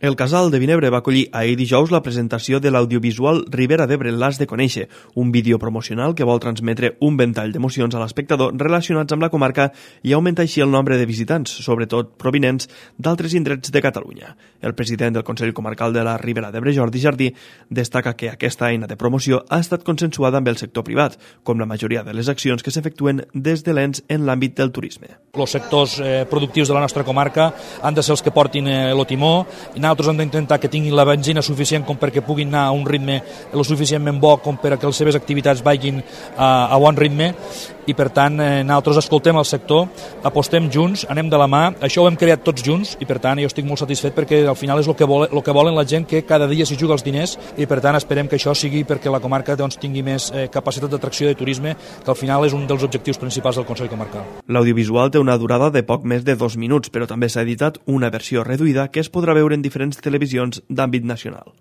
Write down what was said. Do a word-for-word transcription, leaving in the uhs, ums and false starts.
El Casal de Vinebre va acollir ahir dijous la presentació de l'audiovisual Ribera d'Ebre l'Has de Conèixer, un vídeo promocional que vol transmetre un ventall d'emocions a l'espectador relacionats amb la comarca i augmentar així el nombre de visitants, sobretot provinents d'altres indrets de Catalunya. El president del Consell Comarcal de la Ribera d'Ebre, Jordi Jardí, destaca que aquesta eina de promoció ha estat consensuada amb el sector privat, com la majoria de les accions que s'efectuen des de l'ens en l'àmbit del turisme. Els sectors eh, productius de la nostra comarca han de ser els que portin eh, el timó, i nosaltres hem d'intentar que tinguin la benzina suficient com perquè puguin anar a un ritme lo suficientment bo com per a que les seves activitats vagin a, a bon ritme, i per tant eh, nosaltres escoltem el sector, apostem junts, anem de la mà, això ho hem creat tots junts i per tant jo estic molt satisfet perquè al final és el que, vol, el que volen la gent, que cada dia s'hi juga els diners, i per tant esperem que això sigui perquè la comarca doncs, tingui més eh, capacitat d'atracció de turisme, que al final és un dels objectius principals del Consell Comarcal. L'audiovisual té una durada de poc més de dos minuts, però també s'ha editat una versió reduïda que es podrà veure en diferents televisions d'àmbit nacional.